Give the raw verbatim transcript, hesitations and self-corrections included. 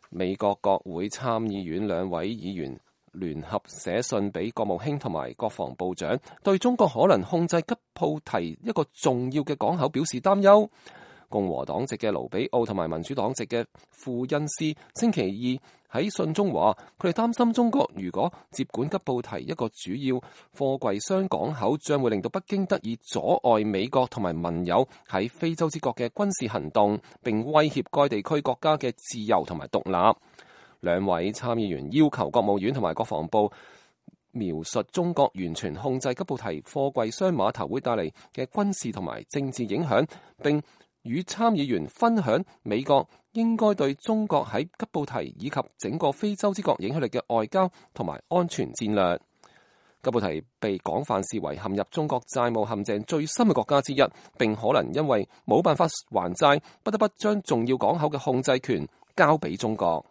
美國國會參議院兩位議員聯合寫信俾國務卿同埋國防部長，對中國可能控制吉布提一個重要嘅港口表示擔憂。共和黨籍嘅盧比奧同埋民主黨籍嘅庫恩斯星期二喺信中話，佢哋擔心中國如果接管吉布提一個主要貨櫃箱港口，將會令到北京得以阻礙美國同埋盟友喺非洲之角嘅軍事行動，並威脅該地區國家嘅自由同埋獨立。兩位參議員要求國務院同埋國防部描述中國完全控制吉布提貨櫃箱碼頭會帶嚟嘅軍事同埋政治影響，並與參議員分享美國應該對中國喺吉布提以及整個非洲之角影響力嘅外交同埋安全戰略。吉布提被廣泛視為陷入中國債務陷阱最深嘅國家之一，並可能因為冇辦法還債，不得不將重要港口嘅控制權交俾中國。